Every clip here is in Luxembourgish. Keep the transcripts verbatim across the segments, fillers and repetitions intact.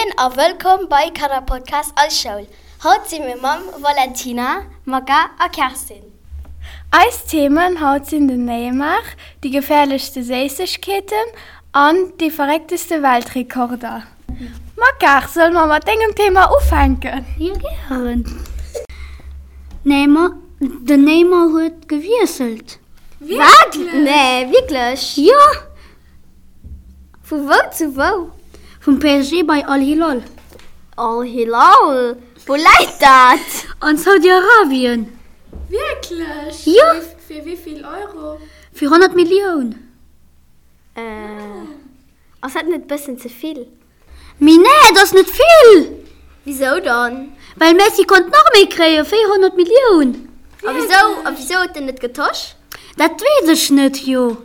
Moien a wëllkomm bei Kannerpodcast Eis Schoul. Haut si mir mam Valentina, Maka a Kerstin. Eis Themen haut sinn den Neymar, déi geféierlechste Séissegkeeten an déi verréckteste Weltrekorder. Maka, solle mer mat dengem Thema ufänken? Jo, gären. Neymar, den Neymar huet gewiesselt. Wat? Nee, wierklech? Jo! Vu wou zu wou? Vum P S G bei Al Hilal. Al Hilal? Wou läit dat? An Saudi-Arabien. Wierklech? Jo! Fir wéi vill Euro? Fir honnert Millioun. Äh, ass dat net bëssen ze vill? Mee nee, dat ass net vill! Wisou dann? Well Messi konnt nach méi kréien, véierhonnert Millioun. A wisou, a wisou huet en net getosch? Dat weess ech net, jo.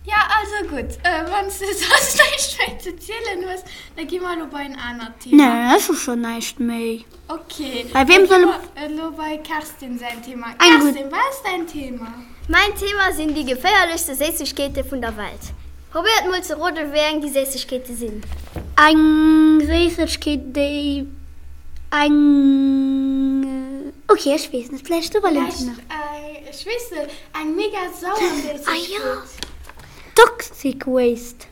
Ja, also gutt, wann s de soss näischt méi ze zielen hues, da gi mer elo bei en anert Thema. Nee, ech hu schonn näischt méi. Ok, Bei da weem gi solle mer elo bei Kerstin säin Thema. Eng gutt. Kerstin, wat ass däin Thema? Mäin Thema sinn déi geféierlechste Séissegkeete vun der Welt. Probéiert mol ze roden, wéi eng déi Séissegkeete sinn. Eng Séissegkeet, déi eng. Ok, ech weess net, vläicht du, Valentina? Vläicht, ech weess net, eng mega sauer Séissegkeet. Ah jo, Toxic Waste.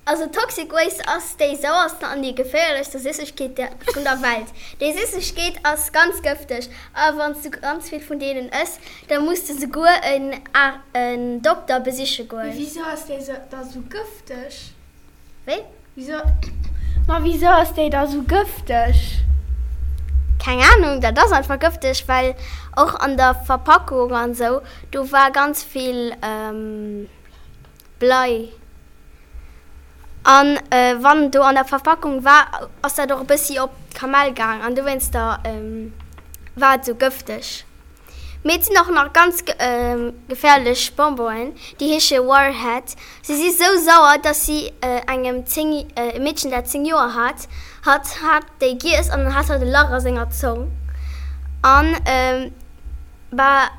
Also Toxic Waste ass déi sauersten an déi geféierlechste Süssegkeet vun der Welt. Déi Süssegkeet ass ganz gëfteg a wann s du ganz vill vun deenen ëss, da muss de souguer en Dokter besiche Mee goen. wisou ass déi da sou gëfteg? Wéi? Wisou, ma wisou ass déi da sou gëfteg? Keng Ahnung, dat ass einfach gëfteg, well och an der Verpackung an sou, do war ganz vill Blei. An wann do an der Verpackung war, ass dat och e bëssi op d'Kamell gaang an dowéinster war et sou gëfteg. Mee et sinn och nach ganz geféierlech Bonbonen, déi heesche Warhead. Si si sou sauer, dass si engem zéng, e Meedchen dat zéng Joer hat, hat hat déi giess an dann hat hatt e Lach a senger Zong. An bah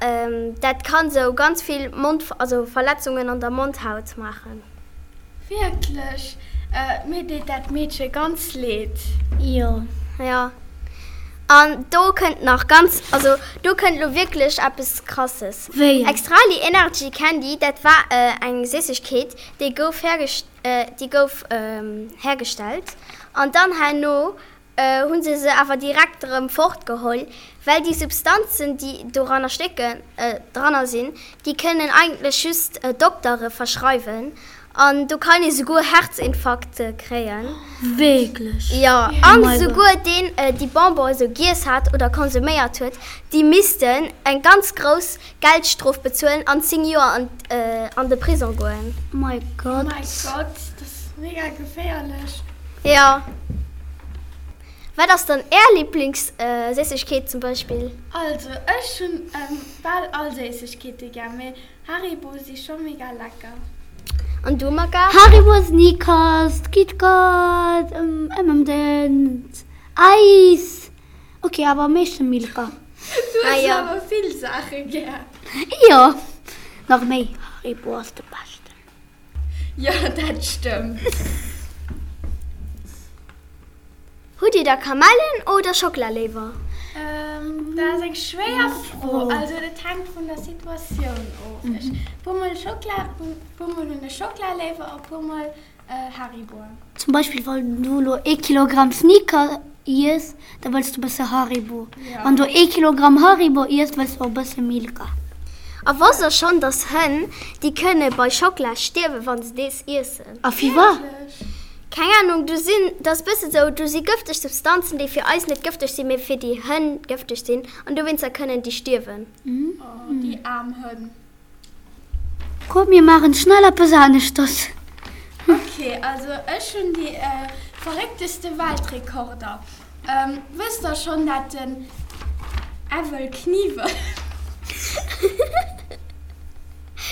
dat kann sou ganz vill Mond, also Verletzungen an der Mondhaut maachen. Wierklech? Mir deet dat Meedche ganz leed. Jo. Jo. An do kënnt nach ganz, also do kënnt lo wierklech eppes Krasses. Wéi? Extrali Energy Candy, dat war eng Séissegkeet, déi gouf hergest, déi gouf hergestellt an dann herno Hu se se awer direkt erëm fortgeholl, well déi Substanzen, déi doranner stécken, dranner sinn, déi kënnen eigentlech just Doktere verschreiwen an do kann ee souguer Herzinfarkte kréien. Wierklech? Jo, an souguer deen, déi Bonbon esou giess hat oder konsuméiert huet, déi missten eng ganz grouss Geldstrof bezuelen an zéng Joer an de Prisong goen. My God. My God, dat ass mega geféierlech. Jo. Wat ass dann Är Liblingsséissegkeet zum Beispill? Also ech hunn bal all Séissegkeete gär, mee Haribo si scho mega lecker. An du Maka? Haribo, Snickers, KitKat, M and M's, Eis, ok awer am meeschten Milka. Du hues awer vill Saache gär. Jo, nach méi Haribo ass de beschten. Jo, dat stëmmt. Hutt Dir da Kamellen oder Schockela léiwer? Dat ass eng schwéier Fro. Also dat hänkt vun der Situatioun of. Ech puer mol Schockela, puer mol hunn ech Schockela léiwer a puer mol Hariboen. Zum Beispill wann du elo ee Kilogramm Snickers iess, da wëlls du bësse Haribo. Wann du ee Kilogramm Haribo iess, wëlls du och bësse Milka. A wosst der schonn, dass Hënn, déi kënne bei Schockela stierwen, wann se dees iessen? A firwat? Keng Ahnung, do sinn, dat ass bësse sou, do si gëfteg Substanzen, déi fir eis net gëfteg sinn, mee fir déi Hënn gëfteg sinn, an dowéinster kënnen déi stierwen. Oh, déi aarm Hënn. Komm, mir maachen schnell eppes aneschters. Ok, also ech hunn déi verréckteste Weltrekorder. Wësst der schonn dat den Evel Knievel.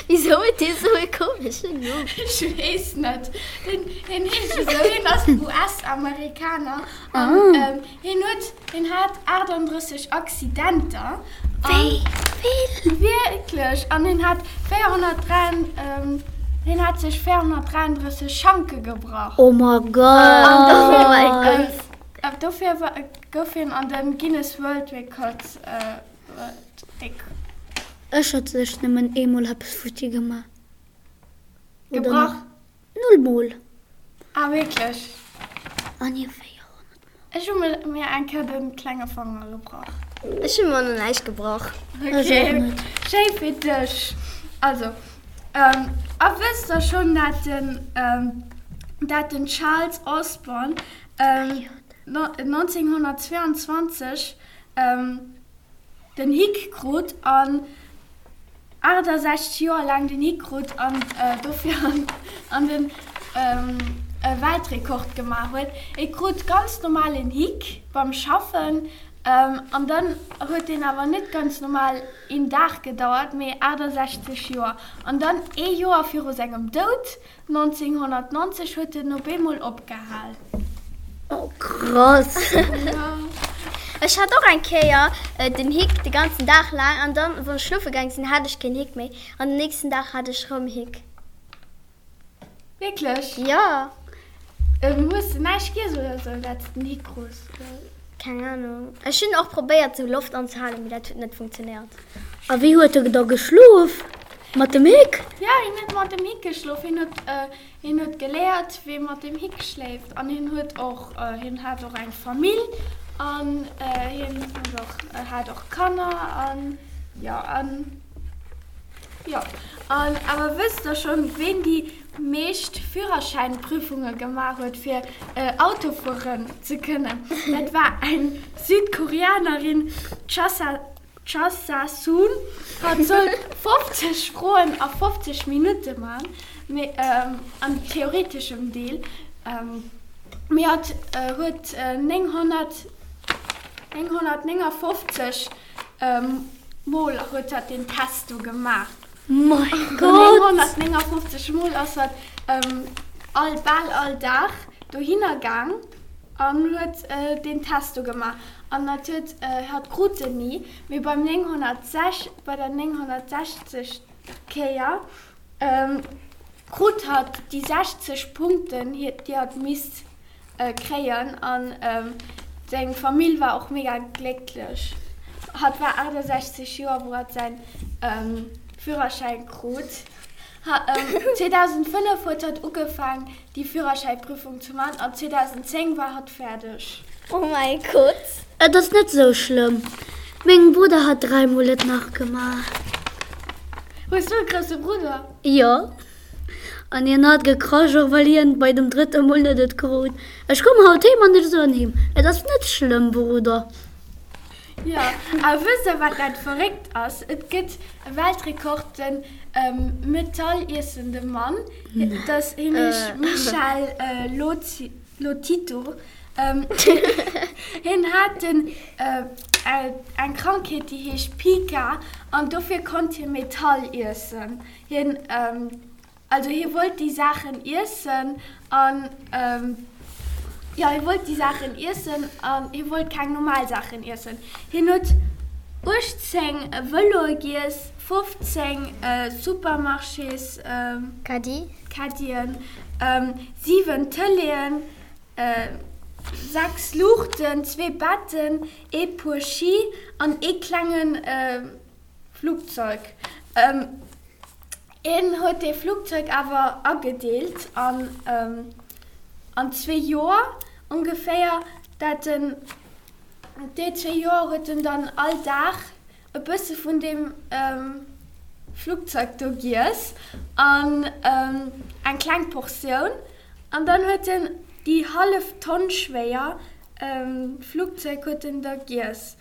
Wisou huet dee sou e komeschen Numm? Ech weess net. Hien heescht esou. Hien ass U S-Amerikaner an hien huet, hien hat aachtanddrësseg Accidenter. Wéi vill? Wierklech. An hien hat véierhonnertdräi, Hien hat sech véierhonnertdräianddrësseg Schanke gebrach. Oh my Oh my God! Gott. Dofir gouf hien an de Guinness World Records. Ech hat sech nëmmen eemol eppes futti gemaach. Oder Gebrach? nach null Mol. Ah, wierklech? Ah nee, véierhonnert Mol. Ech hu mir eng Kéier de klenge Fanger gebrach. Ech hu mer nach näischt gebrach. Ech och Okay, net. schéi fir dech. Also, a wësst der schonn, dat den, dat den Charles Osborne nonzénghonnertzweeanzwanzeg den Hick krut an achtesechzeg Joer laang den Hick krut an dofir an den Weltrekord gemaach huet. E krut ganz normal en Hick beim Schaffen an dann huet deen awer net ganz normal een Dag gedauert, mee achtesechzeg Joer. An dann ee Joer viru sengem Doud, nonzénghonnertnonzeg, huet en op eemol opgehal. Oh krass! Ech hat och eng Kéier den Hick de ganzen Dag laang an dann wou ech schlofe gaang sinn hat ech keen Hick méi an den nächsten Dag hat ech rëm Hick. Wierklech? Jo. Hues de näischt giess oder sou dat s den Hick krus? Keng Ahnung. Ech hunn och probéiert sou Loft anzehalen, mee dat huet net funktionéiert. A wéi huet e da geschlof? Mat dem Hick? Jo, hien huet mat dem Hick geschlof. Hien huet, hien huet geléiert, wéi ee mat dem Hick schléift. An hien huet och, hien hat och eng Famill an hien huet och, hat och Kanner an jo, an jo. An awer wësst der schonn, ween déi meescht Führerschäinprüfunge gemaach huet, fir Auto fueren ze kënnen? Dat war eng Südkoreanerin, d'Chasa Chasa Soon. Hatt sollt fofzeg Froen a fofzeg Minutte man, mee am theoreteschem Deel, mee hatt huet nénghonnert nénghonnertnéngafofzeg Mol huet hatt deen Test do gemaach. Mein Gott! nénghonnertnéngafofzeg Mol ass hatt all bal all Dag dohinner gaang an huet deen Test do gemaach. An dat huet hatt krut en ni, mee beim nénghonnertsech bei der nénghonnertsechzeg Kéier krut hatt déi sechzeg Punkten, déi hatt misst kréien. An seng Famill war och mega glécklech. Hatt war achtesechzeg Joer, wou hatt säin Führerschäin krut. zweedausendfënnef huet hatt ugefaang, déi Führerschäiprüfung ze man an zweedausendzéng war hatt fäerdeg. Oh mäi Gott! Et ass net sou schlëmm. Mengem Brudder hat dräi mol et nach gemaach. Hues du e grousse Brudder? Jo. An hien hat gekrasch, och well hien bei dem drëtte mol net et krut. Ech komm haut heem an ech soen him, Et ass net schlëmm, Brudder. Jo, a wësst der wat dat verréckt ass? Et gëtt e Weltrekord, den metalliessende Mann, dat hien heescht Michel Lotito, hien hat den eng Krankheet déi heescht Pica an dofir konnt hie Metall iessen. Hien Also hie wollt déi Saachen iessen an, jo, hie wollt déi Saachen iessen an hie wollt keng normal Saachen iessen. Hien huet uechtzéng Vëloe giess, fofzéng Supermarchés Caddien, siwen Tëleeën, sechs Luuchten, zwee Betten, ee Puer Ski an ee klenge Flugzeug. Hien huet dee Flugzeug awer agedeelt an an zwee Joer ongeféier. Dat en déi zwee Joer huet en dann all Dag e bësse vun deem Flugzeug do giess an eng kleng Portioun. An dann huet en déi hallef Tonn schwéier Flugzeug huet en da giess.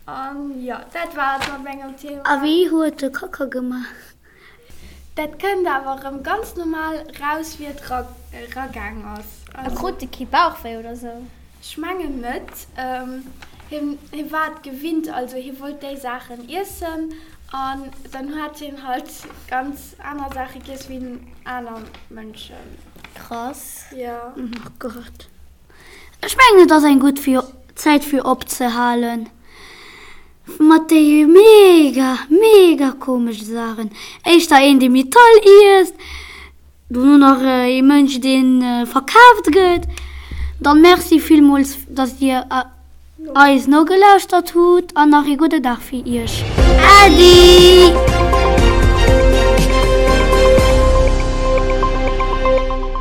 An jo, dat war et mat mengem Thema. A wéi huet e Kacka gemaach? Dat kënnt awer erëm ganz normal raus wéi et eragaang ass. A krut de kee Bauchwéi oder sou? Ech mengen net. Hien war et gewinnt, also hie wollt déi Saachen iessen an dann hat hien halt ganz aner Saache giess wéi aner Mënschen. Krass. Jo. Oh Gott. Ech mengen et ass eng gutt Zäit fir opzehalen. Mat déi mega, mega komesche Saachen. Éischter een, dee Metall iesst, Dono nach ee Mënsch deen verkaaft gëtt. Dann merci villmools dass dir eis nogelauschtert hutt an nach ee gudde Dag fir iech. Äddi!